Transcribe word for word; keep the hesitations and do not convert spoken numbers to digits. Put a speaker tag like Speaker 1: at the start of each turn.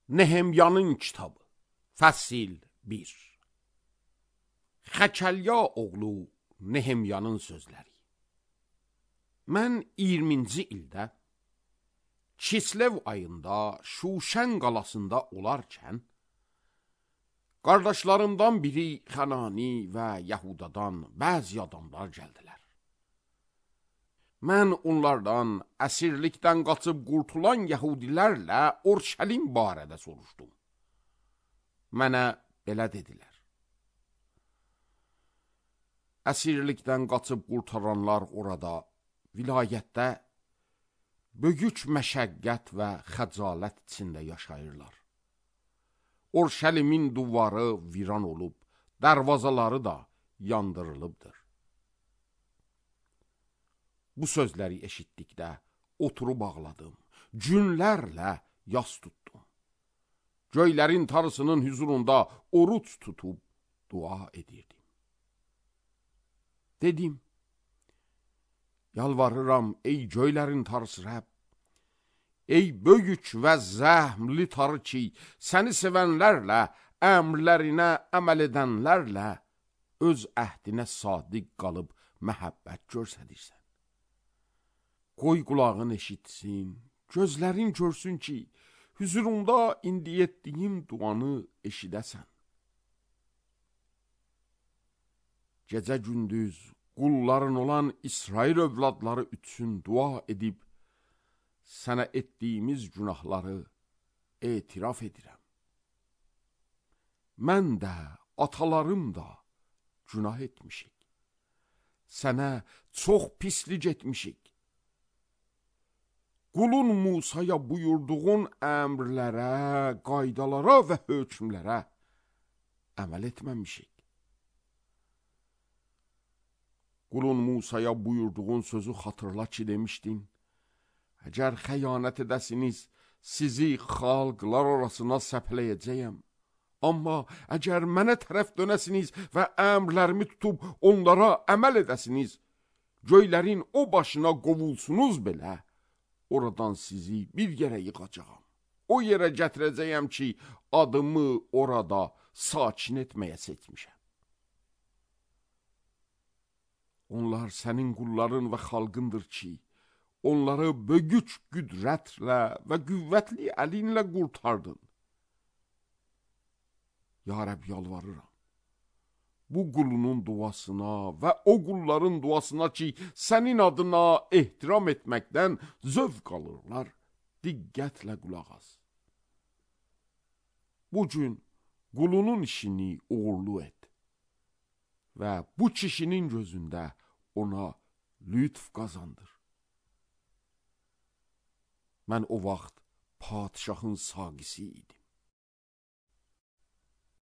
Speaker 1: Nehemyanın kitabı Fəsil bir. Xəkəlya oğlu Nehemyanın sözləri. Mən iyirminci ildə Kislev ayında Şuşən qalasında olarkən, qardaşlarımdan biri Xanani və Yahudadan bəzi adamlar gəldilər. Mən onlardan əsirlikdən qaçıb qurtulan Yahudilərlə Orşəlim barədə soruşdum. Mənə belə dedilər: əsirlikdən qaçıb qurtaranlar orada, vilayətdə böyük məşəqqət və xəcalət içində yaşayırlar. Orşəlimin duvarı viran olub, dərvazaları da yandırılıbdır. Bu sözləri eşitdikdə oturub ağladım, günlərlə yas tutdum. Göylərin Tanrısının hüzurunda oruç tutub dua edirdim. Dedim: yalvarıram ey göylərin Tanrısı Rəbb, ey böyük və zəhmli Tanrı ki, səni sevənlərlə, əmrlərinə əməl edənlərlə öz əhdinə sadiq qalıb məhəbbət göstərirsən. Qoy qulağın eşitsin, gözlərin görsün ki, hüzurunda indi etdiyim duanı eşidəsən. Gecə gündüz qulların olan İsrail övladları üçün dua edib, sənə etdiyimiz günahları etiraf edirəm. Mən də, atalarım da günah etmişik. Sənə çox pislik etmişik. Qulun Musaya buyurduğun əmrlərə, qaydalara və hökmlərə əməl etməmişik. Qulun Musaya buyurduğun sözü xatırla ki, demişdin: əgər xəyanət edəsiniz, sizi xalqlar arasına səpləyəcəyəm. Amma əgər mənə tərəf dönəsiniz və əmrlərimi tutub onlara əməl edəsiniz, göylərin o başına qovulsunuz belə, oradan sizi bir yerə yığacağam. O yerə gətirəcəyəm ki, adımı orada sakin etməyə seçmişəm. Onlar sənin qulların və xalqındır ki, onları böyük qüdrətlə və qüvvətli əlinlə qurtardın. Ya Rəbb, yalvarıram, bu qulunun duasına və o qulların duasına ki, sənin adına ehtiram etməkdən zövq alırlar, diqqətlə qulaq as. Bugün qulunun işini uğurlu et və bu kişinin gözündə ona lütf qazandır. Mən o vaxt padişahın saqisi idim.